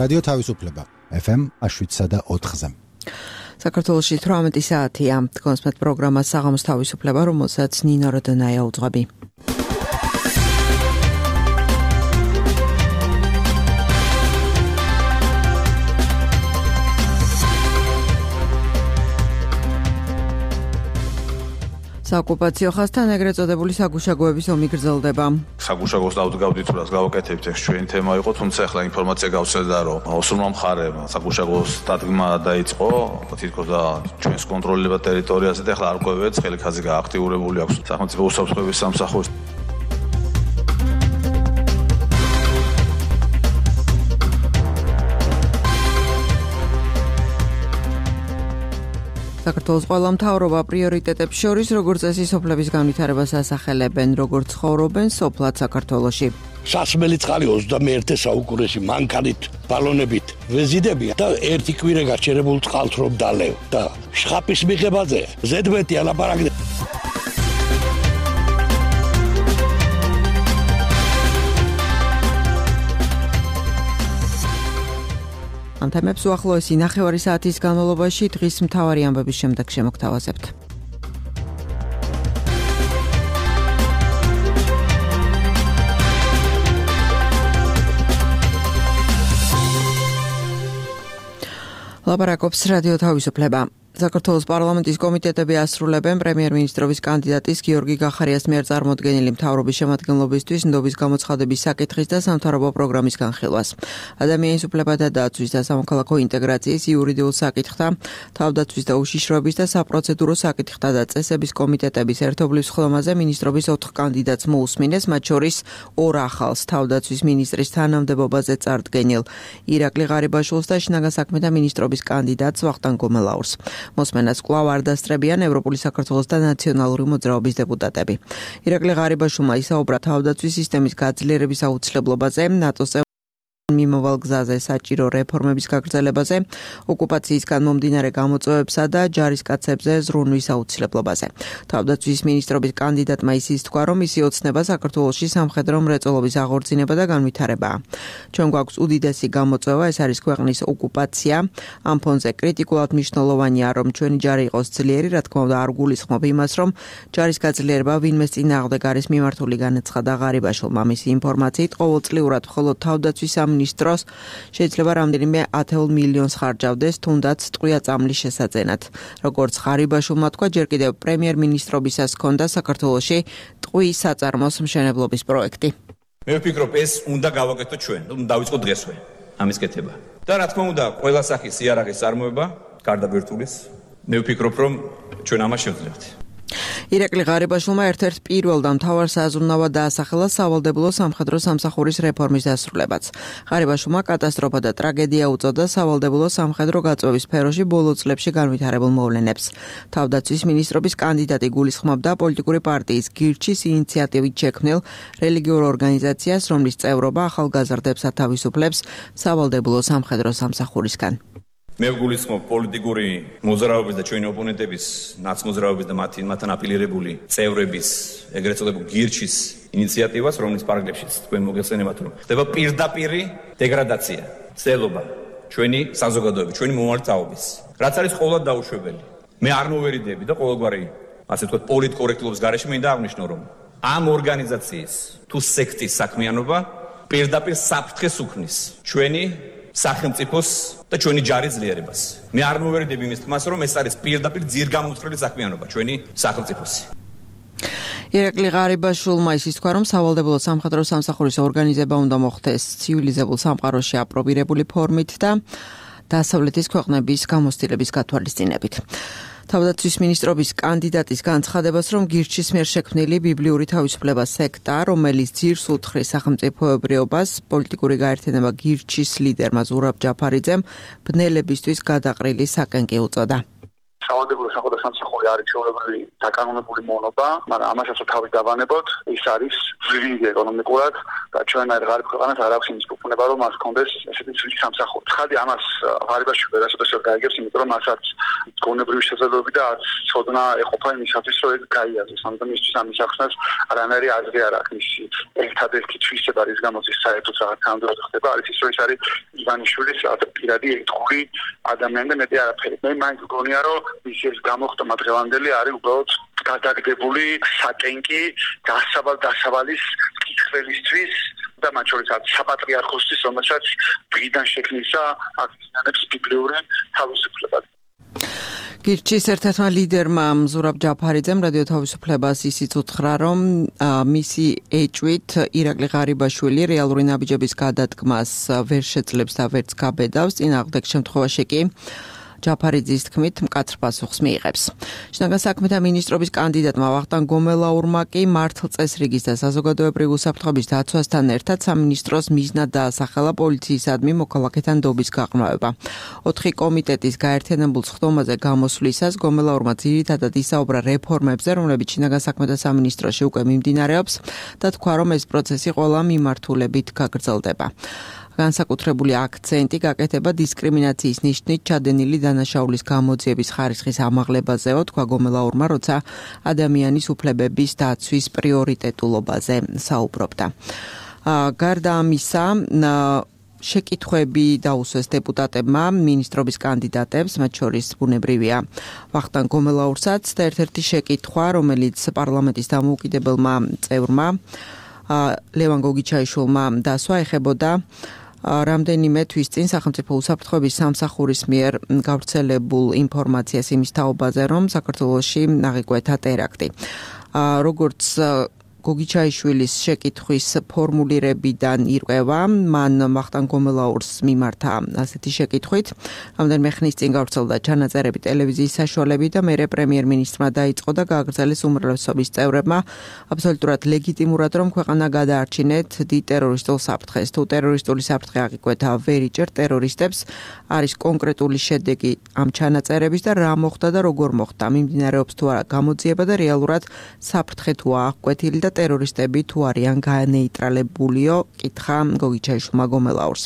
რადიო თავისუფლება FM 7.4-ზე. საქართველოში 18 საათია. კონსპект პროგრამა საღამოს თავისუფლება, რომელსაც ნინო როდონაია უძღვები. საოკუპაციო ხაზთან ეგრეთ წოდებული საგუშაგოების ომი გრძელდება. საგუშაგოს დავდგავდით, რაც გავაკეთებთ, ეს ჩვენი თემა იყო, თუმცა ახლა ინფორმაცია გავცედა, რომ ოსურმა მხარემ საგუშაგოს დადგმა დაიწყო, თითქოს და ჩვენს კონტროლირება ტერიტორიაზე და ახლა არ ყვევებს, ხელიქაძე გააქტიურებული აქვს სახელმწიფო უსაფრთხოების სამსახურს. საქართველოს ყველა მთავრობა პრიორიტეტებს შორის, როგორც წესი, სოფლების განვითარებას ასახელებენ, როგორც ცხოვრობენ სოფლად საქართველოში. სასმელი წყალი 21 საუკუნეში მანქანით, ბალონებით ვეზიდებია და ერთი კვირა გაჩერებულ წყალს რომ დალევ და შხაპის მიღებაზე ზედმეტი ალაპარაკდა. ამ თემებს უახლოესი ნახევარი საათის განმავლობაში დღის მთავარი ამბების შემდეგ შემოგთავაზებთ. ლაპარაკობს რადიო თავისუფლება. საქართველოს პარლამენტის კომიტეტები ასრულებენ პრემიერ-მინისტრობის კანდიდატის გიორგი გახარიას მიერ წარმოდგენილი მთავრობის შემადგენლობისთვის ნდობის გამოცხადების საკითხის და სამთავრობო პროგრამის განხილვას. ადამიანის უფლებათა დაცვის და სამოქალაქო ინტეგრაციის იურიდიულ საკითხთა, თავდაცვის და უშიშროების და საპროცედურო საკითხთა და წესების კომიტეტების ერთობლივ სხდომაზე მინისტრობის 4 კანდიდატს მოусმინეს, მათ შორის 2 ახალს თავდაცვის მინისტრის თანამდებობაზე წარდგენილ ირაკლი ღარიბაშვილს და შინაგან საქმეთა მინისტრობის კანდიდატს ვახტანგ გომელაურს. მოსმენას კვლავ არ დასწრებიან ევროპული საქართველოს და ნაციონალური მოძრაობის დეპუტატები. ირაკლი ღარიბაშვილმა ისაუბრა თავდაცვის სისტემის გაძლიერების აუცილებლობაზე, ნატოს მიმოვალ გზაზე საჭირო რეფორმების გაგრძელებაზე, ოკუპაციისგან მომდინარე გამოწვევებსა და ჯარისკაცებზე ზრუნვის აუცილებლობაზე. თავდაცვის მინისტრობის კანდიდატმა ისიც თქვა, რომ მისი ოცნება საქართველოში სამხედრო მრეწველობის აღორძინება და განვითარებაა. ჩვენ გვაქვს უდიდესი გამოწვევა, ეს არის ქვეყნის ოკუპაცია. ამ ფონზე კრიტიკულად მნიშვნელოვანია, რომ ჩვენი ჯარი იყოს ძლიერი, რა თქმა უნდა, არ გულისხმობ იმას, რომ ჯარის გაძლიერება ვინმეს წინააღმდეგ არის მიმართული, განაცხადა ღარიბაშვილმა. მისი ინფორმაციით, ყოველწლიურად მხოლოდ თავდაცვის მინისტროს შეიძლება რამდენიმე 10 მილიონს ხარჯავდეს, თუნდაც ტყვია წამლის შესაძენად. როგორც ღარიბაშვილმა თქვა, ჯერ კიდევ პრემიერ-მინისტრობისას ჰქონდა საქართველოში ტყვის საწარმოს მშენებლობის პროექტი. მე ვფიქრობ, ეს უნდა გავაკეთოთ ჩვენ, დავიწყო დღესვე ამის კეთება. და რა თქმა უნდა, ყველა სახის იარაღის წარმოება, გარდა ბირთვulis, მე ვფიქრობ, რომ ჩვენ ამას შევძლებთ. ირაკლი ღარიბაშვილმა ერთ-ერთ პირველ და მთავარ საზრუნავად დაასახელა სავალდებულო სამხედრო სამსახურის რეფორმის დასრულებაც. ღარიბაშვილმა კატასტროფა და ტრაგედია უწოდა სავალდებულო სამხედრო გაწვევის სფეროში ბოლო წლებში განვითარებულ მოვლენებს. თავდაცვის მინისტრობის კანდიდატი გულისხმობდა პოლიტიკური პარტიის გირჩის ინიციატივით შექმნილ რელიგიურ ორგანიზაციას, რომლის წევრობა ახალგაზრდებს ათავისუფლებს სავალდებულო სამხედრო სამსახურისგან. მე ვგულისხმობ პოლიტიკური მოძრაობის და ჩვენი ოპონენტების ნაცმოძრაობის და მათთან აპილირებული წევრების ეგრეთ წოდებულ გირჩის ინიციატივას, რომლის პარაგრაფშიც თქვენ მოგეხსენებათ, რომ ხდება პირდაპირი დეგრადაცია, ცდელობა ჩვენი საზოგადოების, ჩვენი მომართაობის, რაც არის ყოველად დაუშვებელი. მე არ მოვერიდები და ყოველგვარი, ასე ვთქვათ, პოლიტკორექტულობის გარეშე მინდა აღნიშნო, რომ ამ ორგანიზაციის თუ სექტის საქმიანობა პირდაპირ საფრთხეს უქმნის ჩვენი სახელმწიფოს და ჩვენი ჯარის ძლიერებას. მე არ მოვერიდები იმის თქმას, რომ ეს არის პირდაპირ ძირგამოწვრილი საქმიანობა ჩვენი სახელმწიფოსი. ირაკლი ღარიბაშვილმა ისიც თქვა, რომ სავალდებულო სამხედრო სამსახურის ორგანიზება უნდა მოხდეს ცივილიზებულ სამყაროში აპრობირებული ფორმით და დასავლეთის ქვეყნების გამოცდილების გათვალისწინებით. თავდაცვის მინისტრობის კანდიდატის განცხადებას, რომ გირჩის მიერ შექმნილი ბიბლიური თავისუფლების სექტა, რომელიც ძირს უთხრის სახელმწიფოებრიობას, პოლიტიკური გაერთიანება გირჩის ლიდერმა ზურაბ ჯაფარიძემ ბნელებისთვის გადაყრილი საკენკი უწოდა. სავალდებულო სამხედრო სამსახური არის ჩვეულებრივი დაკანონებული მონობა, მაგრამ ამასაც თავი დავანებოთ, ის არის ძვირი ეკონომიკურად და ჩვენ არ ღარიბ ქვეყანას არ აქვს იმის ეუბნება რომ მას კონდეს ესეთი ცივი სამსახური. ხადი ამას ღარიბაში ვერასოდეს გაიგებს, იმიტომ რომ მასაც გონებრივი შესაძლებლობები და ცოდნა ეყოფა იმისათვის რომ ეს გაიაზროს. ამიტომ მისთვის ამის ახსნას არანაირი აზრი არ აქვს. მისი ერთადერთი თვისება რის გამოც ის საერთოდ რაღაც თანამდებობად ხდება არის ის რომ ის არის ივანიშვილის პირადი ერთგული ადამიანი და მეტი არაფერი. მე მაინც გონია რომ ის გამოხტომა დღევანდელი არის უბრალოდ გადაგდებული საკენკი დასავალის კითხველისთვის და მათ შორის საპატრიარქოსთვის, რომელსაც დღიდან შექმნისა აქციონებს ბიბლიური თავისუფლება. გირჩის ერთ-ერთმა ლიდერმა ზურაბ ჯაფარიძემ რადიო თავისუფლებას ისიც უთხრა, რომ მისი ეჭვით ირაკლი ღარიბაშვილი რეალური ნაბიჯების გადადგმას ვერ შეძლებს და ვერც გაბედავს, წინააღმდეგ შემთხვევაში კი ჯაფარიძის თქმით მკაცრ პასუხს მიიღებს. შინაგან საქმეთა მინისტრობის კანდიდატმა ვახტანგ გომელაურმა კი მართლწესრიგის და საზოგადოებრივი უსაფრთხოების დაცვასთან ერთად სამინისტროს მიზნად დაასახელა პოლიციისადმი მოქალაქეთა ნდობის გაყრმავება. 4 კომიტეტის გაერთიანებულ სხდომაზე გამოსვლისას გომელაურმა ძირითადად ისაუბრა რეფორმებზე, რომლებიც შინაგან საქმეთა სამინისტროში უკვე მიმდინარეობს და თქვა, რომ ეს პროცესი ყველა მიმართულებით გაგრძელდება. განსაკუთრებული აქცენტი გაკეთება დისკრიმინაციის ნიშნით ჩადენილი დანაშაულის გამოძიების ხარისხის ამაღლებაზეო, თქვა გომელაურმა, როცა ადამიანის უფლებების დაცვის პრიორიტეტულობაზე საუბრობდა. გარდა ამისა, შეკითხვები დაუსვეს deputatებმა მინისტრობის კანდიდატებს, მათ შორის ბუნებრივია ვახტანგ გომელაურსაც და ერთ-ერთი შეკითხვა, რომელიც პარლამენტის დამოუკიდებელმა წევრმა ლევან გოგიჩაიშვილმა დასვა, ეხებოდა რამდენიმე თვის წინ სახელმწიფო უსაფრთხოების სამსახურის მიერ გავრცელებულ ინფორმაციას იმის თაობაზე, რომ საქართველოში აღიკვეთა ტერაქტი. როგორც გოგიჩაიშვილის შეკითხვის ფორმულირებიდან ირკვევა, მან ვახტანგ გომელაურს მიმართა ასეთი შეკითხვით, რამდენიმე ხნის წინ გავრცელდა ჩანაწერები ტელევიზიის საშუალებით და მერე პრემიერ-მინისტრმა დაიწყო და გააგრძელეს უმრავლესობის წევრებმა აბსოლუტურად ლეგიტიმურად, რომ ქვეყანა გადაარჩინეთ დიდ ტერორისტულ საფრთხეს. თუ ტერორისტული საფრთხე აღიკვეთა ვერ იჭერთ ტერორისტებს, არის კონკრეტული შედეგი ამ ჩანაწერების და რა მოხდა და როგორ მოხდა. მიმდინარეობს თუ არა გამოძიება და რეალურად საფრთხე თუ აღკვეთილი და ტერორისტები თუ არიან განეიტრალებულიო, კითხა გოგიჩაიშვილმა გომელაურს.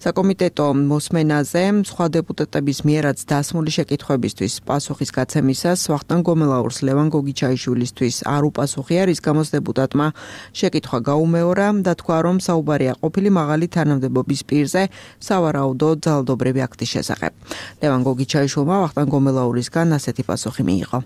საკომიტეტო მოსმენაზე სხვა დეპუტატების მიერაც დასმული შეკითხვებისთვის პასუხის გაცემისას ვახტანგ გომელაურს ლევან გოგიჩაიშვილისთვის არ უპასუხია, რის გამოც დეპუტატმა შეკითხვა გაუმეორა და თქვა, რომ საუბარია ყოფილი მაღალი თანამდებობის პირზე სავარაუდო ძალადობრივი აქტის შესახებ. ლევან გოგიჩაიშვილმა ვახტანგ გომელაურისგან ასეთი პასუხი მიიღო.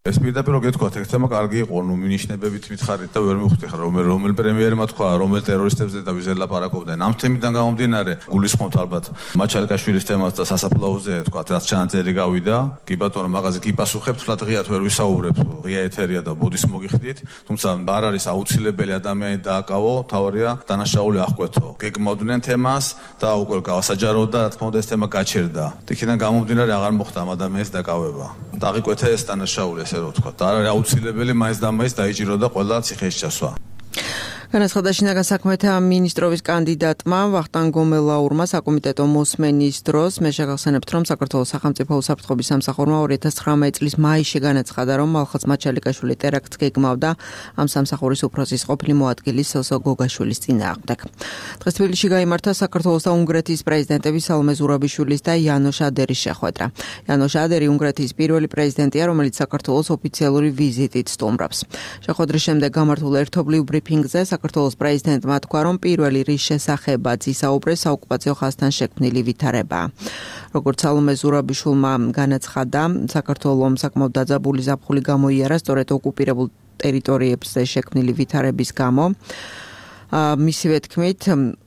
ეს პირდაპირ გეთქვათ, ეგ თემა კარგი იყო, მინიშნებებით მითხარით და ვერ მივხვდი ხარ, რომელ პრემიერმა თქვა, რომელ ტერორისტებზე და ვიზე ლაპარაკობდნენ. ამ თემიდან გამომდინარე, გულისხმობთ ალბათ მაჩალკაშვილის თემას და სასაფლაოზე თქვა, რაც ჩანაწერი გავიდა. კი ბატონო, მაღაზი კი პასუხებთ, თლა დღეად ვერ ვისაუბრებთ, ღია ეთერია და ბოდის მოგიხდით, თუმცა არ არის აუცილებელი ადამიანი დააკავო, თავარია დანაშაული აღკვეთო. გეგმავდნენ თემას და უკვე გავასაჯაროთ და რა თქმა უნდა ეს თემა გაჩერდა. იქიდან გამომდინარე აღარ მოხდა ამ ადამიანის დაკავება. დააღვიკვეთა ეს დანაშაული. და არ არის აუცილებელი მაინც და მაინც დაიჭიროდა ყველა ციხეში ჩასვა. განაცხადა შინაგან საქმეთა მინისტრობის კანდიდატმა ვახტანგ გომელაურმა საკომიტეტო მოსმენის დროს. მე შეგახსენებთ, რომ საქართველოს სახელმწიფო უსაფრთხოების სამსახურმა 2019 წლის მაისში განაცხადა, რომ მალხაზ მაჩალიკაშვილი ტერაქტს გეგმავდა ამ სამსახურის უფროსის ყოფილი მოადგილის სოსო გოგაშვილის წინააღმდეგ. დღეს თბილისში გაიმართა საქართველოს და უნგრეთის პრეზიდენტების სალომე ზურაბიშვილის და იანოშ ადერის შეხვედრა. იანოშ ადერი უნგრეთის პირველი პრეზიდენტია, რომელიც საქართველოს ოფიციალური ვიზიტით სტუმრობს. შეხვედრის შემდეგ გამართულ ერთობლივ ბრიფინგზე საქართველოს პრეზიდენტმა თქვა, რომ პირველი რის შესახებაც ისაუბრეს საოკუპაციო ხაზთან შექმნილი ვითარებაა. როგორც სალომე ზურაბიშვილმა განაცხადა, საქართველოს საკმაოდ დაძაბული ზაფხული გამოიარა სწორედ ოკუპირებულ ტერიტორიებზე შექმნილი ვითარების გამო. მისივე თქმით,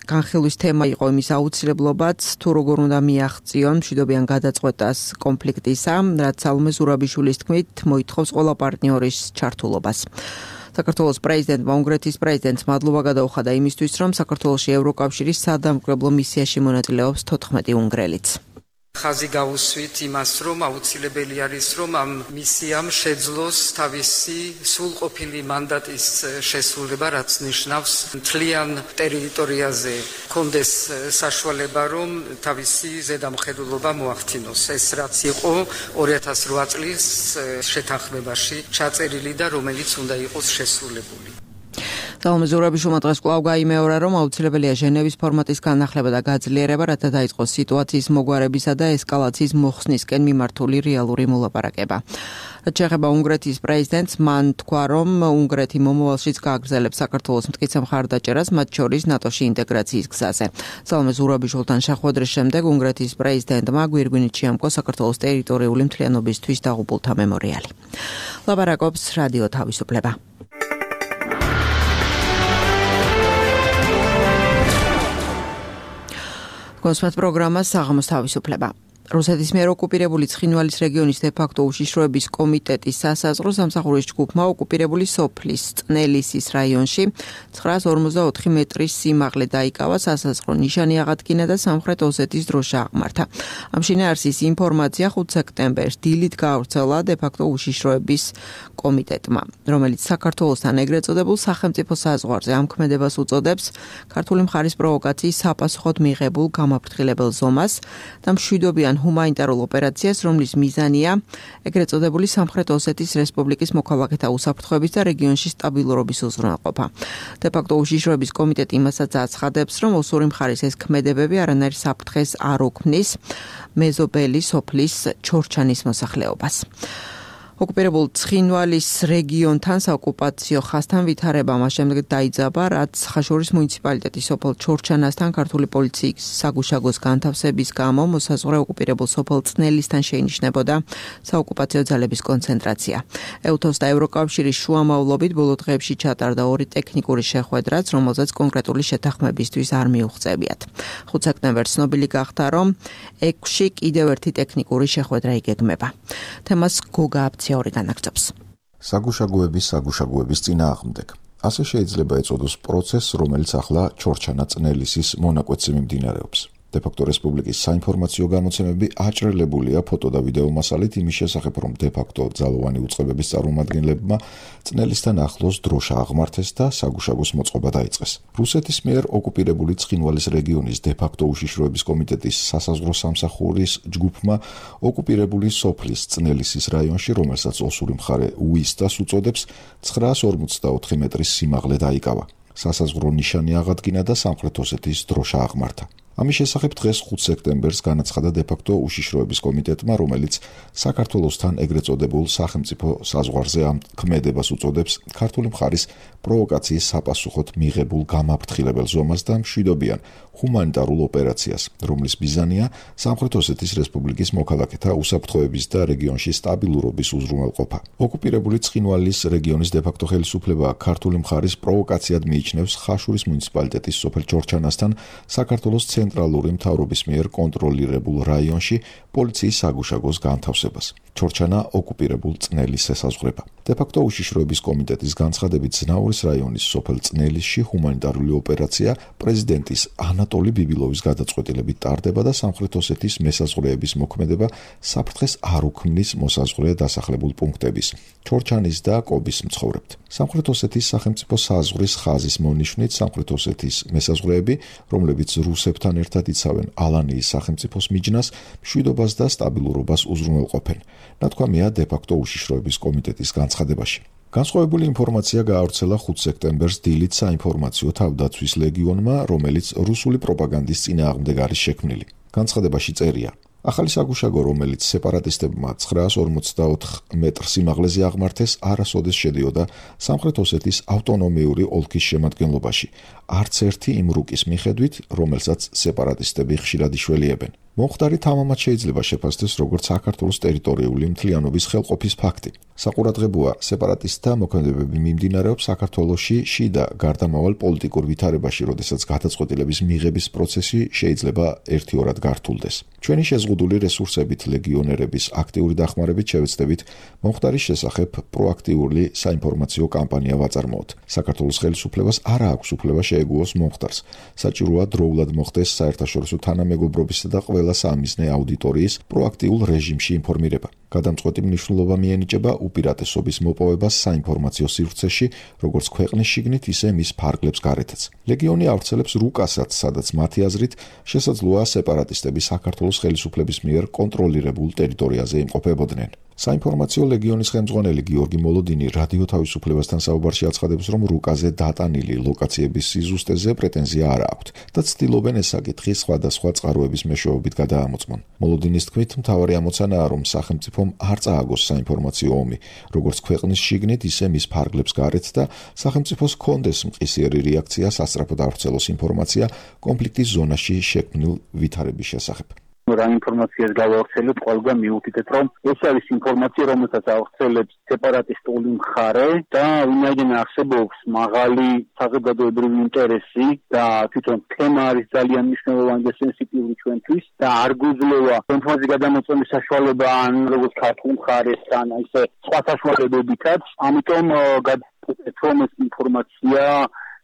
განხილვის თემა იყო იმის აუცილებლობაც, თუ როგორ უნდა მიაღწიონ მშვიდობიან გადაწყვეტას კონფლიქტისა, რაც სალომე ზურაბიშვილის თქმით მოითხოვს ყველა პარტნიორის ჩართულობას. საქართველოს პრეზიდენტმა უნგრეთის პრეზიდენტს მადლობა გადაუხადა იმისთვის, რომ საქართველოში ევროკავშირის სადამკვირვებლო მისიაში მონაწილეობს 14 უნგრელიც. ხაზი გავუსვით იმას, რომ აუცილებელი არის, რომ ამ მისიამ შეძლოს თავისი სრულყოფილი მანდატის შესრულება, რაც ნიშნავს მთლიან ტერიტორიაზე კონდეს საშუალება, რომ თავისი ზედამხედველობა მოახდინოს. ეს რაც იყო 2008 წლის შეთანხმებაში ჩაწერილი და რომელიც უნდა იყოს შესრულებული. სალომე ზურაბიშვილმა დღეს კვლავ გაიმეორა, რომ აუცილებელია ჟენევის ფორმატის განახლება და გაძლიერება, რათა დაიწყოს სიტუაციის მოგვარებისა და ესკალაციის მოხსნისკენ მიმართული რეალური მოლაპარაკება. შეეხება უნგრეთის პრეზიდენტს, მან თქვა, რომ უნგრეთი მომავალშიც გააგრძელებს საქართველოს მტკიცე მხარდაჭერას, მათ შორის ნატოში ინტეგრაციის გზაზე. სალომე ზურაბიშვილთან შეხვედრის შემდეგ უნგრეთის პრეზიდენტმა გვირგვინით შეამკო საქართველოს ტერიტორიული მთლიანობისთვის დაღუპულთა მემორიალი. ლაპარაკობს რადიო თავისუფლება. კონსპект პროგრამა საღამოს თავისუფლება. რუსეთის მიერ ოკუპირებული ცხინვალის რეგიონის დე-ფაქტო უშიშროების კომიტეტის სასაზღვრო სამსახურის ჯგუფმა ოკუპირებული სოფლის წნელისის რაიონში 954 მეტრის სიმაღლე დაიკავა, სასაზღვრო ნიშანი აღადგინა და სამხრეთ ოსეთის დროშა აღმართა. ამ შინაარსის ინფორმაცია 5 სექტემბერს დილით გაავრცელა დე-ფაქტო უშიშროების კომიტეტმა, რომელიც საქართველოსთან ეგრეთ წოდებულ სახელმწიფო საზღვარზე ამ ქმედებას უწოდებს ქართული მხარის პროვოკაციის საპასუხოდ მიღებულ გამაფრთხილებელ ზომას და მშვიდობიან ჰუმანიტარულ ოპერაციას, რომლის მიზანია ეგრეთ წოდებული სამხრეთ ოსეთის რესპუბლიკის მოქალაქეთა უსაფრთხოების და რეგიონში სტაბილურობის უზრუნველყოფა. დე-ფაქტო უშიშროების კომიტეტი იმასაც აცხადებს, რომ ოსური მხარის ეს ქმედებები არანაირ საფრთხეს არ უქმნის მეზობელი სოფლის ჩორჩანის მოსახლეობას. ოკუპირებულ ცხინვალის რეგიონთან საოკუპაციო ხაზთან ვითარება მას შემდეგ დაიძაბა, რაც ხაშურის მუნიციპალიტეტის სოფელ ჩორჩანასთან ქართული პოლიციის საგუშაგოს განთავსების გამო მოსაზღვრე ოკუპირებულ სოფელ წნელისთან შეინიშნებოდა საოკუპაციო ძალების კონცენტრაცია. ეუთოს და ევროკავშირის შუამავლობით ბოლო დღეებში ჩატარდა 2 ტექნიკური შეხვედრაც, რომელზეც კონკრეტული შეთანხმებისთვის არ მიუღწევიათ. 5 სექტემბერს ცნობილი გახდა, რომ 6-ში კიდევ ერთი ტექნიკური შეხვედრა იგეგმება. თემას გოგა ორი განაგრძობს. საგუშაგოების წინააღმდეგ. ასე შეიძლება ეწოდოს პროცესს, რომელიც ახლა ჩორჩანა წნელისის მონაკვეთზე მიმდინარეობს. დე-ფაქტო რესპუბლიკის საინფორმაციო გამოცემები აჭრელებულია ფოტო და ვიდეო მასალით იმის შესახებ, რომ დე-ფაქტო ძალოვანი უწყებების წარმომადგენლებმა წნელისთან ახლოს დროშა აღმართეს და საგუშაგოს მოწყობა დაიწყეს. რუსეთის მიერ ოკუპირებული ცხინვალის რეგიონის დე-ფაქტო უშიშროების კომიტეტის სასაზღვრო სამსახურის ჯგუფმა ოკუპირებული სოფლის წნელისის რაიონში, რომელსაც ოსური მხარე უისტას უწოდებს, 954 მეტრის სიმაღლე დაიკავა. სასაზღვრო ნიშანი აღადგინა და სამხრეთ ოსეთის დროშა აღმართა. ამის შესახებ დღეს 5 სექტემბერს განაცხადა დე-ფაქტო უშიშროების კომიტეტმა, რომელიც საქართველოსთან ეგრეთ წოდებულ სახელმწიფო საზღვარზე ამ ქმედებას უწოდებს ქართული მხარის პროვოკაციის საპასუხოდ მიღებულ გამაფრთხილებელ ზომას და მშვიდობიან ჰუმანიტარულ ოპერაციას, რომლის მიზანია სამხრეთ ოსეთის რესპუბლიკის მოქალაქეთა უსაფრთხოების და რეგიონში სტაბილურობის უზრუნველყოფა. ოკუპირებული ცხინვალის რეგიონის დე-ფაქტო ხელისუფლება ქართული მხარის პროვოკაციად მიიჩნევს ხაშურის მუნიციპალიტეტის სოფელ ჩორჩანასთან საქართველოს ცენტრალური მთავრობის მიერ კონტროლირებულ რაიონში პოლიციის საგუშაგოს განთავსებას. ჩორჩანა ოკუპირებულ წნელის ესაზღვრება. დე-ფაქტო უშიშროების კომიტეტის განცხადებით, ზნაურის რაიონის სოფელ წნელისში ჰუმანიტარული ოპერაცია პრეზიდენტის ანატოლი ბიბილოვის გადაწყვეტილებით ტარდება და სამხრეთ ოსეთის მესაზღვრეების მოქმედება საფრთხეს არ უქმნის მოსაზღვრე დასახლებულ პუნქტების, ჩორჩანის და კობის მცხოვრებთ. სამხრეთ ოსეთის სახელმწიფო საზღვრის ხაზის მონიშნით სამხრეთ ოსეთის მესაზღვრეები, რომლებიც რუსებთან ერთად იცავენ ალანიის სახელმწიფოს მიჯნას, მშვიდობას და სტაბილურობას უზრუნველყოფენ. ნათქვამია დე-ფაქტო უშიშროების კომიტეტის განცხადებაში. განსხვავებული ინფორმაცია გაავრცელა 5 სექტემბერს დილით საინფორმაციო თავდაცვის ლეგიონმა, რომელიც რუსული პროპაგანდის წინააღმდეგ არის შექმნილი. განცხადებაში წერია: ახალი საგუშაგო, რომელიც სეპარატისტებმა 954 მეტრ სიმაღლეზე აღმართეს, არასოდეს შედიოდა სამხრეთ ოსეთის ავტონომიური ოლქის შემადგენლობაში, არც ერთი იმ რუკის მიხედვით, რომელსაც სეპარატისტები ხშირად იშველიებენ. მომხდარი თამამად შეიძლება შეფასდეს როგორც საქართველოს ტერიტორიული მთლიანობის ხელყოფის ფაქტი. საყურადღებოა, სეპარატისტთა მოქმედებები მიმდინარეობს საქართველოში შიდა გარდამავალ პოლიტიკურ ვითარებაში, როდესაც გადაწყვეტილების მიღების პროცესი შეიძლება ერთიორად გართულდეს. ჩვენი შეზღუდული რესურსებით ლეგიონერების აქტიური დახმარებით შევეცდებით მომხდარის შესახებ პროაქტიული საინფორმაციო კამპანია ვაწარმოოთ. საქართველოს ხელისუფლებას არ აქვს უფლება შეეგუოს მომხდარს. საჭიროა დროულად მოხდეს საერთაშორისო თანამეგობრობისა და ყველა სამიზნე აუდიტორიის პროაქტიულ რეჟიმში ინფორმირება. გადამწყვეტი მნიშვნელობა მიენიჭება უპირატესობის მოპოვებას საინფორმაციო სივრცეში, როგორც ქვეყნის შიგნით, ისე მის ფარგლებს გარეთაც. ლეგიონი ავრცელებს რუკასაც, სადაც მათი აზრით შესაძლოა სეპარატისტები საქართველოს ხელისუფლების მიერ კონტროლირებულ ტერიტორიაზე იმყოფებოდნენ. საინფორმაციო ლეგიონის ხელმძღვანელი გიორგი მოლოდინი რადიო თავისუფლებასთან საუბარში აცხადებს, რომ რუკაზე დატანილი ლოკაციების სიზუსტეზე პრეტენზია არ აქვთ და ცდილობენ ეს საკითხი სხვადასხვა წყაროების მეშვეობით გადაამოწმონ. მოლოდინის თქმით, მთავარი ამოცანაა, რომ სახელმწიფომ არ წააგოს საინფორმაციო ომი, როგორც ქვეყნის შიგნით, ისე მის ფარგლებს გარეთ და სახელმწიფოს ჰქონდეს მყისიერი რეაქცია სასწრაფოდ ავრცელოს ინფორმაცია კონფლიქტის ზონაში შექმნილ ვითარების შესახებ. რა ინფორმაციას გავავრცელოთ, ყველგან მივუთითეთ, რომ ეს არის ინფორმაცია, რომელსაც ავრცელებს სეპარატისტული მხარე და ვინაიდან არსებობს მაღალი საზოგადოებრივი ინტერესი და თვითონ თემა არის ძალიან მნიშვნელოვანი და სენსიტიური ჩვენთვის და არ გვიძლევა ინფორმაციის გადამოწმების საშუალება ან როგორც ქართულ მხარეს ან ისე სხვა საშუალებებითაც, ამიტომ გადავწყვეტ, რომ ეს ინფორმაცია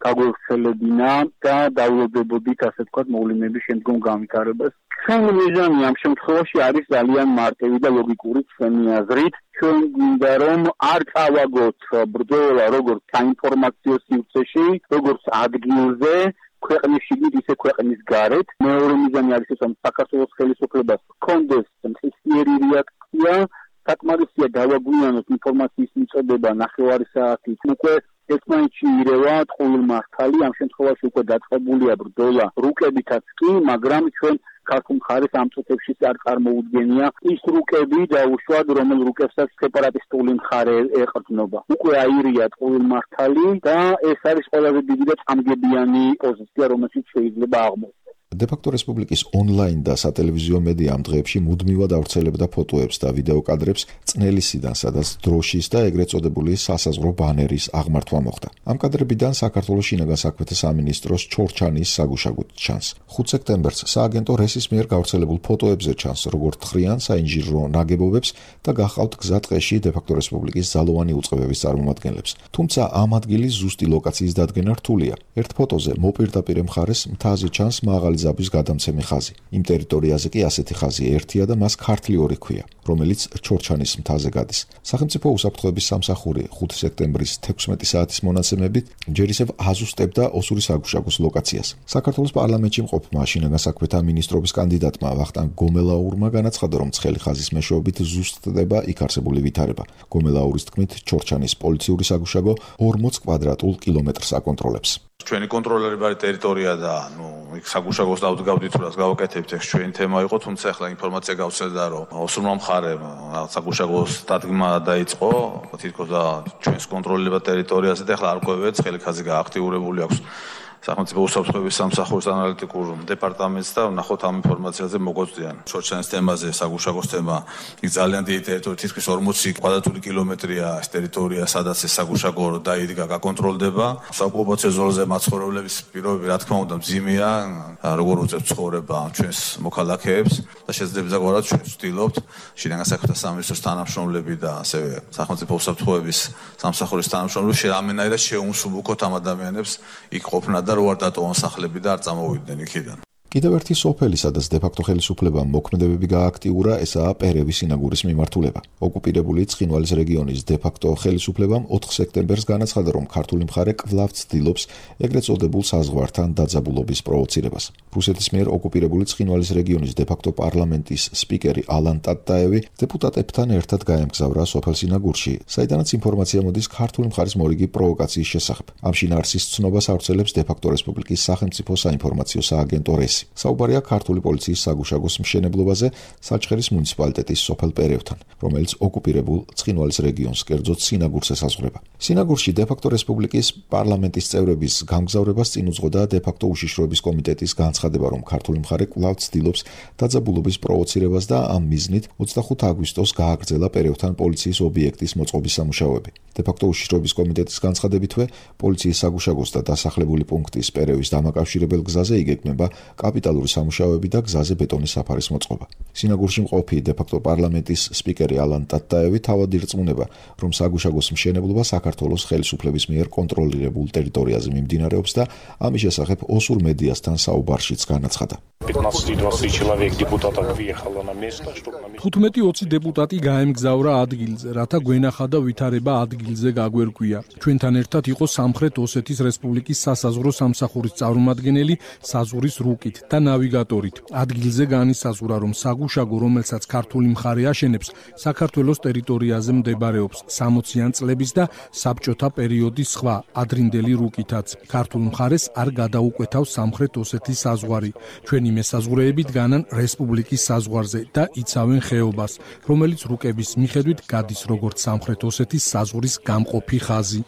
გაგვევრცელებინა და დაულოდებოდით, ასე ვთქვათ, მოვლენების შემდგომ განვითარებას. ჩვენი მიზანი ამ შემთხვევაში არის ძალიან მარტივი და ლოგიკური ჩვენი აზრით. ჩვენ გვინდა რომ არ წავაგოთ ბრძოლა როგორც საინფორმაციო სივრცეში, როგორც ადგილზე, ქვეყნის შიგნით, ისე ქვეყნის გარეთ. მეორე მიზანი არის ის, რომ საქართველოს ხელისუფლებას ჰქონდეს მყისიერი რეაქცია, საკმარისია დავაგვიანოთ ინფორმაციის მიწოდება ნახევარი საათით. უკვე ერთმანეთში ირევა ტყუილ მართალი, ამ შემთხვევაში უკვე დაწყებულია ბრძოლა რუკებითაც კი, მაგრამ ჩვენ ქართულ მხარეს ამ წუთებში არ წარმოუდგენია ის რუკები დაუშვათ, რომელ რუკებსაც სეპარატისტული მხარე ეყრდნობა. უკვე აირია ტყუილ მართალი და ეს არის ყველაზე დიდი და წამგებიანი პოზიცია, რომელშიც შეიძლება აღმოჩნდეს. დე-ფაქტო რესპუბლიკის ონლაინ და სატელევიზიო მედია ამ დღეებში მუდმივად ავრცელებდა ფოტოებს და ვიდეო კადრებს წნელისიდან, სადაც დროშის და ეგრეთ წოდებული სასაზღვრო ბანერის აღმართვა მოხდა. ამ კადრებიდან საქართველოს შინაგან საქმეთა სამინისტროს ჩორჩანის საგუშაგოდ ჩანს. 5 სექტემბერს სააგენტო რესის მიერ გავრცელებულ ფოტოებზე ჩანს, როგორც თხრიან საინჟინრო ნაგებობებს და გახავთ გზა ტყეში დე-ფაქტო რესპუბლიკის ძალოვანი უწყებების წარმომადგენლებს. თუმცა ამ ადგილის ზუსტი ლოკაციის დადგენა რთულია. ერთ ფოტოზე მოპირდაპირე მხარეს მთაზე ჩანს მაღალი ზაბვის გადამცემი ხაზი. იმ ტერიტორიაზე კი ასეთი ხაზი ერთია და მას ქართლი ორი ქვია, რომელიც ჩორჩანის მთაზე გადის. სახელმწიფო უსაფრთხოების სამსახური 5 სექტემბრის 16 საათის მონაცემებით ჯერ ისევ აზუსტებდა ოსური საგუშაგოს ლოკაციას. საქართველოს პარლამენტში მყოფმა შინაგან საქმეთა მინისტრობის კანდიდატმა ვახტანგ გომელაურმა განაცხადა, რომ ცხელი ხაზის მეშვეობით ზუსტდება იქ არსებული ვითარება. გომელაურის თქმით, ჩორჩანის პოლიციური საგუშაგო 40 კვადრატულ კილომეტრს აკონტროლებს. ჩვენი კონტროლერებარი ტერიტორია და იქ საგუშაგოს დავდგავდით, რას გავაკეთებთ, ეს ჩვენი თემა იყო, თუმცა ახლა ინფორმაცია გავცედა, რომ ოსურმა მხარემ საგუშაგოს დადგმა დაიწყო, თითქოს და ჩვენს კონტროლერებარ ტერიტორიაზე და ახლა არ ყვევეთ, ცხელი ხაზი გააქტიურებული აქვს სახელმწიფო უსაფრთხოების სამსახურის ანალიტიკურ დეპარტამენტს და ნახოთ ამ ინფორმაციაზე მოგვწვდიან. ჩორჩანის თემაზე, საგუშაგოს თემა, იქ ძალიან დიდი ტერიტორია, თითქმის 40 კვადრატული კილომეტრია ეს ტერიტორია, სადაც ეს საგუშაგო დაიდგა, გაკონტროლდება. საოკუპაციო ზოლზე მაცხოვრებლების პირობები, რა თქმა უნდა, მძიმეა, როგორ უწევთ ცხოვრება ჩვენს მოქალაქეებს და შესაძლებლად ჩვენ ვცდილობთ შინაგან საქმეთა სამინისტროს თანამშრომლები და ასევე სახელმწიფო უსაფრთხოების სამსახურის თანამშრომლები რამენაირად შეუმსუბუქოთ ამ ადამიანებს იქ ყოფნა და რო არ დატოვონ სახლები და არ წამოვიდნენ იქიდან. კიდევ ერთი სოფელი, სადაც დე-ფაქტო ხელისუფლებამ მოქმედებები გააქტიურა, ესაა პერევის სინაგურის მიმართულება. ოკუპირებული ცხინვალის რეგიონის დე-ფაქტო ხელისუფლებამ 4 სექტემბერს განაცხადა, რომ ქართული მხარე კვლავ ცდილობს ეგრეთ წოდებულ საზღვართან დაძაბულობის პროვოცირებას. რუსეთის მიერ ოკუპირებული ცხინვალის რეგიონის დე-ფაქტო პარლამენტის სპიკერი ალან ტატაევი დეპუტატებთან ერთად გაემგზავრა სოფელ სინაგურში, საიდანაც ინფორმაცია მოდის ქართული მხარის მორიგი პროვოკაციის შესახებ. ამ შინაარსის ცნობას ავრცელებს დე-ფაქტო რესპუბლიკის სახელმწიფო საინფორმაციო სააგენტო რესი. საუბარია ქართული პოლიციის საგუშაგოს მშენებლობაზე საჩხერის მუნიციპალიტეტის სოფელ პერევთან, რომელიც ოკუპირებულ ცხინვალის რეგიონს, კერძოდ სინაგურს ესაზღვრება. სინაგურში დე-ფაქტო რესპუბლიკის პარლამენტის წევრების გამგზავრებას წინ უძღოდა დე-ფაქტო უშიშროების კომიტეტის განცხადება, რომ ქართული მხარე კვლავ ცდილობს დაძაბულობის პროვოცირებას და ამ მიზნით 25 აგვისტოს გააგრძელა პერევთან პოლიციის ობიექტის მოწყობის სამუშაოები. დე-ფაქტო უშიშროების კომიტეტის განცხადებითვე, პოლიციის საგუშაგოს და დასახლებული პუნქტის პერევის დამაკავშირებელ გზაზე იგეგმება კაპიტალური სამუშაოები და გზაზე ბეტონის საფარის მოწყობა. სინაგურში მყოფი დე-ფაქტო პარლამენტის სპიკერი ალან ტატაევი თავად ირწმუნება, რომ საგუშაგოს მშენებლობა საქართველოს ხელისუფლების მიერ კონტროლირებულ ტერიტორიაზე მიმდინარეობს და ამის შესახებ ოსურ მედიასთან საუბარშიც განაცხადა. 15-20 დეპუტატი გაემგზავრა ადგილზე, რათა გვენახა და ვითარება ადგილზე გაგვერკვია. ჩვენთან ერთად იყო სამხრეთ ოსეთის რესპუბლიკის სასაზღვრო სამსახურის წარმომადგენელი საზღვრის რუკით და ნავიგატორით. ადგილზე განისაზღვრა, რომ საგუშაგო, რომელსაც ქართული მხარე აშენებს, საქართველოს ტერიტორიაზე მდებარეობს 60-იან წლების და საბჭოთა პერიოდის სხვა ადრინდელი რუკითაც. ქართულ მხარეს არ გადაუკვეთავს სამხრეთ ოსეთის საზღვარი. ჩვენი მესაზღვრეები დგანან რესპუბლიკის საზღვარზე და იცავენ ხეობას, რომელიც რუკების მიხედვით გადის როგორც სამხრეთ ოსეთის საზღვრის გამყოფი ხაზი.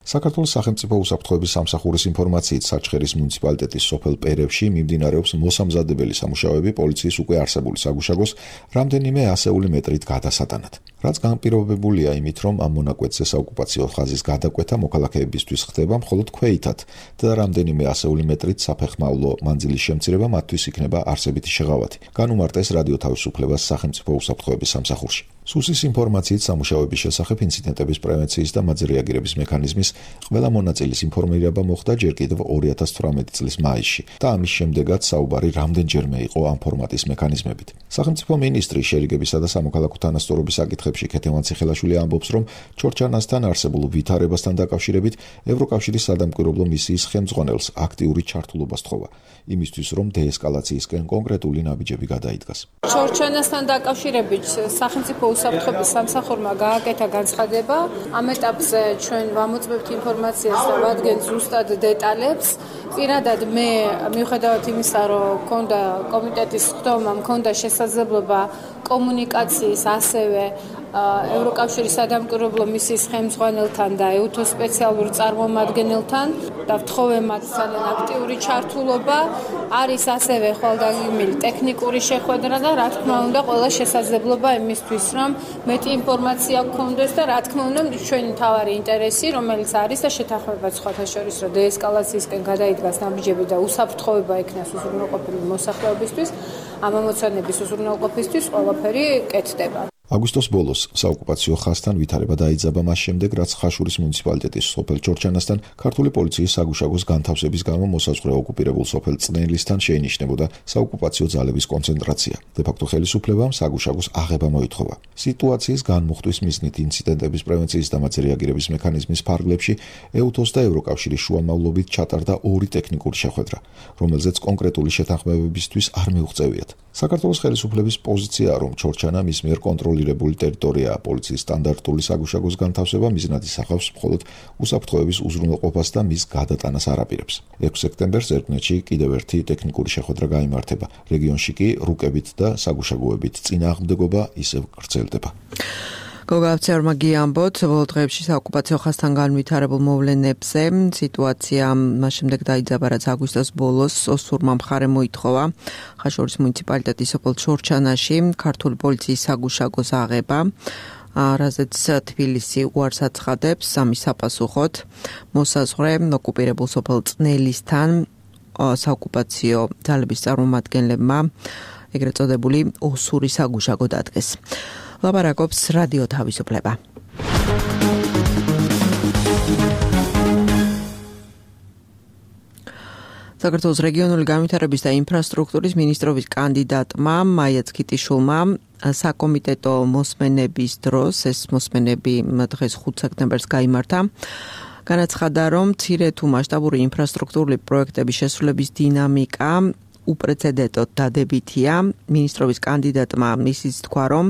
საქართველოს სახელმწიფო უსაფრთხოების სამსახურის ინფორმაციით საჩხერის მუნიციპალიტეტის სოფელ პერევში მიმდინარეობს მოსამზადებელი სამუშაოები პოლიციის უკვე არსებული საგუშაგოს რამდენიმე ასეული მეტრით გადასატანად. რაც განპირობებულია იმით, რომ ამ მონაკვეთზე საოკუპაციო ხაზის გადაკვეთა მოქალაქეებისთვის ხდება მხოლოდ ქვეითად და რამდენიმე ასეული მეტრით საფეხმავლო მანძილის შემცირება მათთვის იქნება არსებითი შეღავათი. განუმარტეს რადიო თავისუფლებას სახელმწიფო უსაფრთხოების სამსახურში. სუსის ინფორმაციით სამუშაოების შესახებ ინციდენტების პრევენციის და მათზე რეაგირების მექანიზმის ყველა მონაწილის ინფორმირება მოხდა ჯერ კიდევ 2018 წლის მაისში და ამის შემდეგაც საუბარი რამდენჯერმე იყო ამ ფორმატის მექანიზმებით. სახელმწიფო მინისტრი შერიგებისა და სამოქალაქო თანასწორობის საკითხებში ქეთევან ციხელაშვილი ამბობს, რომ ჩორჩანასთან არსებულ ვითარებასთან დაკავშირებით ევროკავშირის სადამკვირვებლო მისიის ხელმძღვანელს აქტიური ჩართულობა სთხოვა, იმისთვის რომ დეესკალაციისკენ კონკრეტული ნაბიჯები გადაიდგას. ჩორჩანასთან დაკავშირებით სახელმწიფო უსაფრთხოების სამსახურმა გააკეთა განცხადება. ამ ეტაპზე ჩვენ ვამოწმებთ ინფორმაციას და ვადგენთ ზუსტად დეტალებს. წინადად მე მიუხედავად იმისა, რომ მქონდა კომიტეტის ხდომა, მქონდა შესაძლებლობა კომუნიკაციის ასევე ევროკავშირის სადამკვირვებლო მისიის ხელმძღვანელთან და EUTO-ს სპეციალურ წარმომადგენელთან და ვთხოვე მათთან აქტიური ჩართულობა. არის ასევე ხვალდაგმული ტექნიკური შეხვედრა და რა თქმა უნდა ყველა შესაძლებლობა იმისთვის, რომ მეტი ინფორმაცია გქონდეს და რა თქმა უნდა ჩვენი მთავარი ინტერესი, რომელიც არის და შეთანხმება სხვათა შორის, რომ დეესკალაციისკენ გადაიდგას ნაბიჯები და უსაფრთხოება იქნას უზრუნველყოფილი მოსახლეობისთვის, ამ ამოცანების უზრუნველყოფისთვის ყველაფერი კეთდება. აგვისტოს ბოლოს საოკუპაციო ხაზთან ვითარება დაიძაბა მას შემდეგ, რაც ხაშურის მუნიციპალიტეტის სოფელ ჩორჩანასთან ქართული პოლიციის საგუშაგოს განთავსების გამო მოსაზღვრე ოკუპირებულ სოფელ წნელისთან შეინიშნებოდა საოკუპაციო ძალების კონცენტრაცია. დე-ფაქტო ხელისუფლებამ საგუშაგოს აღება მოითხოვა. სიტუაციის განმუხტვის მიზნით ინციდენტების პრევენციის და მათზე რეაგირების მექანიზმის ფარგლებში EUTO-ს და ევროკავშირის შუამავლობით ჩატარდა 2 ტექნიკური შეხვედრა, რომელზეც კონკრეტული შეთანხმებებისთვის არ მიუღწევიათ. საქართველოს ხელისუფლების პოზიციაა, რომ ჩორჩანა მის მიერ კონტროლირებული ტერიტორიაა. პოლიციის სტანდარტული საგუშაგოს განთავსება მიზნად ისახავს მხოლოდ უსაფრთხოების უზრუნველყოფას და მის გადატანას არ აპირებს. 6 სექტემბერს ერკნეთში კიდევ ერთი ტექნიკური შეხვედრა გაიმართება. რეგიონში კი რუკებით და საგუშაგოებით წინააღმდეგობა ისევ გრძელდება. გოგავცერმა გიამბოთ, ბოლო დღეებში საოკუპაციო ხაზთან განვითარებულ მოვლენებზე სიტუაცია მას შემდეგ დაიძაბა, რაც აგვისტოს ბოლოს ოსურმა მხარემ მოითხოვა ხაშურის მუნიციპალიტეტის სოფელ ჩორჩანაში ქართული პოლიციის საგუშაგოს აღება, რაზეც თბილისი უარს აცხადებს. ამის საპასუხოდ მოსაზღვრე ოკუპირებულ სოფელ წნელისთან საოკუპაციო ძალების წარმომადგენლებმა ეგრეთ წოდებული ოსური საგუშაგო დადგეს. ლაპარაკობს რადიო თავისუფლება. საქართველოს რეგიონული განვითარების და ინფრასტრუქტურის მინისტრობის კანდიდატმა მაია ცქიტიშვილმა საკომიტეტო მოსმენების დროს, ეს მოსმენები დღეს 5 სექტემბერს გაიმართა, განაცხადა, რომ მცირე თუ მასშტაბური ინფრასტრუქტურული პროექტების შესრულების დინამიკა უპრეცედენტოდ დადებითია. მინისტრობის კანდიდატმა ისიც თქვა, რომ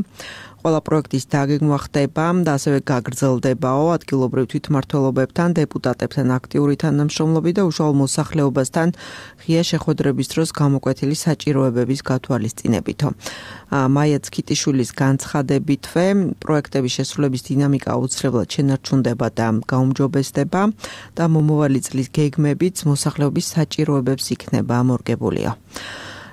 ყველა პროექტის დაგეგმვა ხდება და ასევე გაგრძელდებაო ადგილობრივ თვითმმართველობებთან, დეპუტატებთან აქტიური თანამშრომლობით და უშუალო მოსახლეობასთან ღია შეხვედრების დროს გამოკვეთილი საჭიროებების გათვალისწინებითო. მაია ცქიტიშვილის განცხადებითვე პროექტების შესრულების დინამიკა აუცილებლად შენარჩუნდება და გაუმჯობესდება და მომავალი წლის გეგმებიც მოსახლეობის საჭიროებებს იქნება ამორგებულია.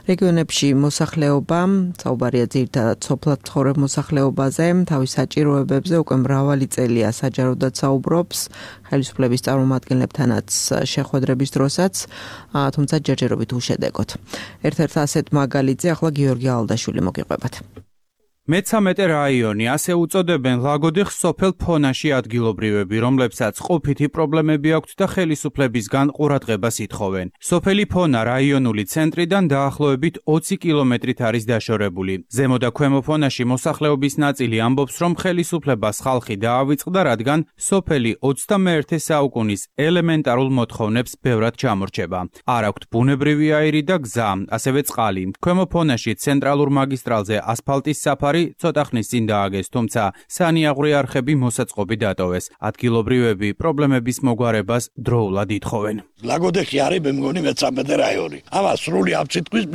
რეგიონებში მოსახლეობა, საუბარია ძირითადად სოფლად მცხოვრებ მოსახლეობაზე, თავის საჭიროებებზე უკვე მრავალი წელია საჯაროდად საუბრობს, ხელისუფლების წარმომადგენლებთანაც შეხვედრების დროსაც, თუმცა ჯერჯერობით უშედეგოდ. ერთ-ერთ ასეთ მაგალითზე ახლა გიორგი ალდაშვილი მოგიყვებათ. მე-13 რაიონი, ასე უწოდებენ ლაგოდეხს სოფელ ფონაში ადგილობრივები, რომლებსაც ყოფითი პრობლემები აქვთ და ხელისუფლებისგან ყურადღებას ითხოვენ. სოფელი ფონა რაიონული ცენტრიდან დაახლოებით 20 კილომეტრით არის დაშორებული. ზემო და ქვემო ფონაში მოსახლეობის ნაწილი ამბობს, რომ ხელისუფლებას ხალხი დაავიწყდა, რადგან სოფელი 21 საუკუნის ელემენტარულ მოთხოვნებს ბევრად ჩამორჩება. არ აქვთ ბუნებრივი აირი და გზა, ასევე წყალი. ქვემო ფონაში ცენტრალურ მაგისტრალზე ასფალტის საფარი ცოტა ხნის წინ დააგეს, თუმცა სანიაღვრე არხები მოსაწყობი დატოვეს. ადგილობრივები პრობლემების მოგვარებას დროულად ითხოვენ. ლაგოდეხი არის მე მგონი მე-13 რაიონი. ამას სრული აფციტყვის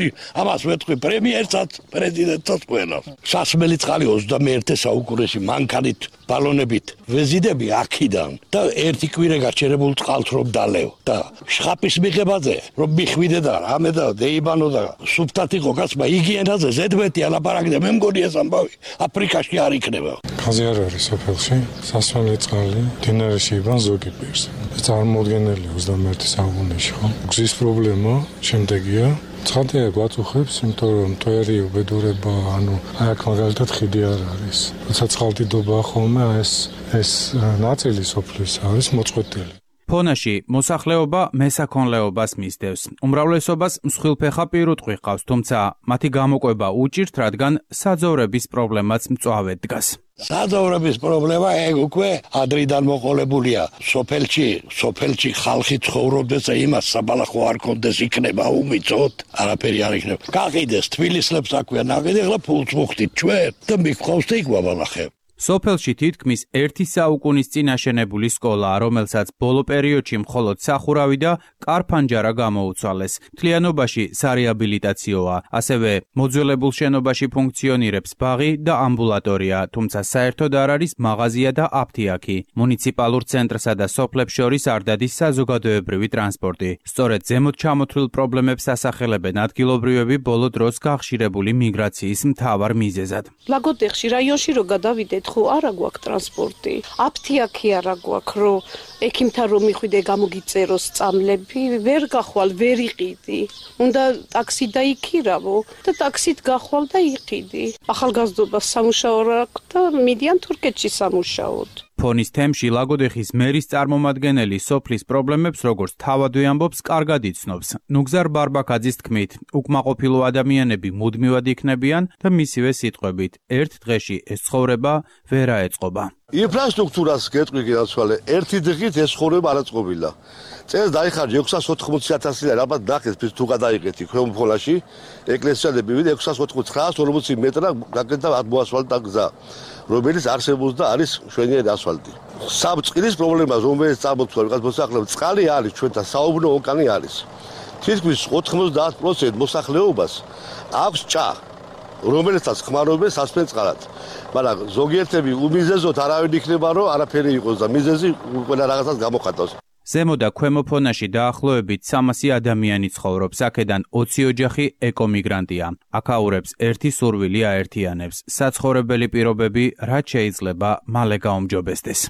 ამას ვეთქვი პრემიერსაც, პრეზიდენტსაც ყველა. სასმელი წყალი 21 საუკუნეში მანქანით, ბალონებით ვეზიდები აქედან და ერთი კვირე გაჩერებულ წყალს რომ დალევ და შხაპის მიღებაზე რომ მიხვიდე და რამე და დეიბანო და სუფთად იყო კაცმა იგიენაზე ზედმეტი ალაპარაკდა მე მგონი ეს ამბავი აფრიკაში არ იქნება. ხაზი არ არის სოფელში, სასმელი წყალი დინარეში იბან ზოგი პირს. ეს წარმოუდგენელი 21 საუკუნეში ხო? გზის პრობლემა შემდეგია. ცხადია გვაწუხებს, იმიტომ რომ თვერი უბედურება, აი აქ მაგალითად ხიდი არ არის. როცა წყალდიდობაა ხოლმე, ეს ნაწილი სოფლის არის მოწყვეტილი. ფონაში მოსახლეობა მესაქონლეობას მისდევს. უმრავლესობას მსხვილფეხა პირუტყვი ჰყავს, თუმცა მათი გამოკვება უჭირთ, რადგან საძოვრების პრობლემაც მწვავედ დგას. საძოვრების პრობლემა ეგ უკვე ადრიდან მოყოლებულია. სოფელში ხალხი ცხოვრობდეს და იმას საბალახო არ კონდეს იქნება უმიწოდ, არაფერი არ იქნება. გაყიდეს თბილისლებს აქვია ნაყიდი, ახლა ფულს მოხდით ჩვენ და მიგყავს და იქ ვაბალახებ. სოფელში თითქმის 1 საუკუნის წინ აშენებული სკოლა, რომელსაც ბოლო პერიოდში მხოლოდ სახურავი და კარფანჯარა გამოუცვალეს. მთლიანობაში სარეაბილიტაციოა, ასევე მოძველებულ შენობაში ფუნქციონირებს ბაღი და ამბულატორია, თუმცა საერთოდ არ არის მაღაზია და აფთიაქი. მუნიციპალურ ცენტრსა და სოფლებს შორის არ დადის საზოგადოებრივი ტრანსპორტი. სწორედ ზემოთ ჩამოთვლილ პრობლემებს ასახელებენ ადგილობრივები ბოლო დროს გახშირებული მიგრაციის მთავარ მიზეზად. ლაგოდეხში რაიონში რო გადავიდეთ ხო არა გვაქვს ტრანსპორტი. აფთიაქი არა გვაქვს, რომ ექიმთან რომ მიხვიდე გამოგიწეროს წამლები, ვერ გახვალ, ვერ იყიდი. უნდა ტაქსი დაიქირავო და ტაქსით გახვალ და იყიდი. ახალგაზრდობას სამუშაო რა აქვს და მიდიან თურქეთში სამუშაოდ. ფონის თემში ლაგოდეხის მერის წარმომადგენელი სოფლის პრობლემებს როგორც თავადვე ამბობს, კარგად იცნობს. ნუგზარ ბარბაკაძის თქმით, უკმაყოფილო ადამიანები მუდმივად იქნებიან და მისივე სიტყვებით, ერთ დღეში ეს ცხოვრება ვერ აეწყობა. ინფრასტრუქტურას გეტყვი გასვალე, ერთი დღით ეს ცხოვრება არ აწყობილა. წელს დაიხარჯა 680,000 ლარი, ალბათ ნახეთ თუ გადაიღეთი ქვემო ფონაში, ეკლესიაზე მივიდა 680-940 მეტრა გაკეთდა მოასფალტდა გზა, რომელიც არსებობს და არის შვენიერი ასფალტი. სამწყლის პრობლემა, რომელიც წარმოთქვა ვიღაც მოსახლეობას, წყალი არის ჩვენთან, საუბნო ოკანი არის. თითქმის 90% მოსახლეობას აქვს ჭა, რომელსაც ხმარობენ სასმელ წყალად. მაგრამ ზოგიერთები უმიზეზოდ არავინ იქნება, რომ არაფერი იყოს და მიზეზი ყველა რაღაცას გამოხატავს. ზემო და ქვემო ფონაში დაახლოებით 300 ადამიანი ცხოვრობს, აქედან 20 ოჯახი ეკომიგრანტია. აქაურებს ერთი სურვილი აერთიანებს. საცხოვრებელი პირობები რაც შეიძლება მალე გაუმჯობესდეს.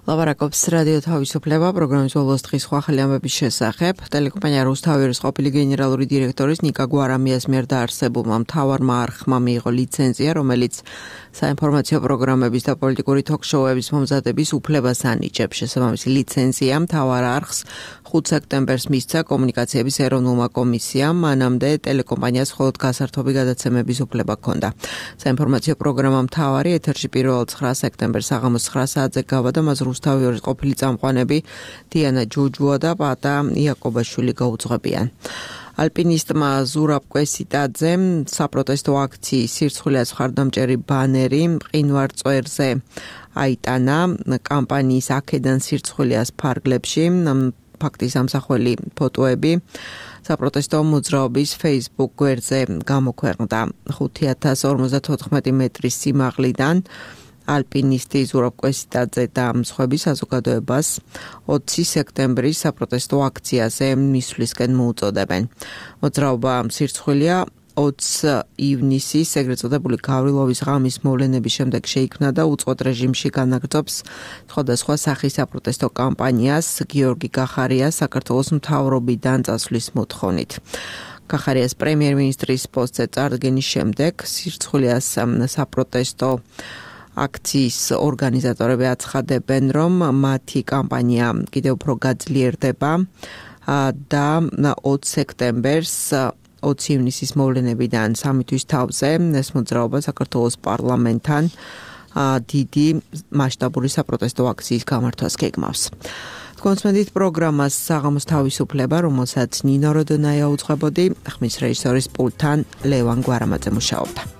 ლაპარაკობს რადიო თავისუფლება პროგრამის ბოლოს დღის სხვა ახალი ამბების შესახებ. ტელეკომპანია რუსთავის ყოფილი გენერალური დირექტორის ნიკა გვარამიას მიერ დაარსებულმა მთავარმა არხმა მიიღო ლიცენზია, რომელიც საინფორმაციო პროგრამების და პოლიტიკური თოქ-შოუების მომზადების უფლებას ანიჭებს. შესაბამისი ლიცენზია მთავარ არხს 5 სექტემბერს მისცა კომუნიკაციების ეროვნულმა კომისიამ, მანამდე ტელეკომპანიას მხოლოდ გასართობი გადაცემების უფლება ჰქონდა. საინფორმაციო პროგრამა მთავარი ეთერში 1 სექტემბერს საღამოს 9 საათზე გავა და მას რუსთავის ყოფილი წამყვანები დიანა ჯოჯუა და პატა იაკობაშვილი გაუძღვებიან. ალპინისტმა ზურაბ კვესიტაძემ საპროტესტო აქციის სირცხვილეას მხარდამჭერი ბანერი მყინვარ წვერზე აიტანა კამპანიის აქედან სირცხვილეას ფარგლებში. ფაქტის ამსახველი ფოტოები საპროტესტო მოძრაობის Facebook გვერდზე გამოქვეყნდა. 5054 მეტრის სიმაღლიდან ალპინისტი ზურაბ კვესიტაძე და მსხვერპლი საზოგადოებას 20 სექტემბრის საპროტესტო აქციაზე მისვლისკენ მოუწოდებენ. მოძრაობა სირცხვილეა 20 ივნისის ეგრეთ წოდებული გავრილოვის ღამის მოვლენების შემდეგ შეიქმნა და უწყვეტ რეჟიმში განაგრძობს სხვადასხვა სახის საპროტესტო კამპანიას გიორგი გახარიას საქართველოს მთავრობიდან წასვლის მოთხოვნით. გახარიას პრემიერ-მინისტრის პოსტზე წარდგენის შემდეგ სირცხვილიას საპროტესტო აქციის ორგანიზატორები აცხადებენ, რომ მათი კამპანია კიდევ უფრო გაძლიერდება და 20 სექტემბერს 20 ივნისის მოვლენებიდან 3 თვის თავზე ეს მოძრაობა საქართველოს პარლამენტთან დიდი მასშტაბური საპროტესტო აქციის გამართვას გეგმავს. კონსმედით პროგრამას საღამოს თავისუფლება, რომელსაც ნინო როდონაია უძღვებოდი, ხმის რეჟისორის პულტთან ლევან გვარამაძე მუშაობდა.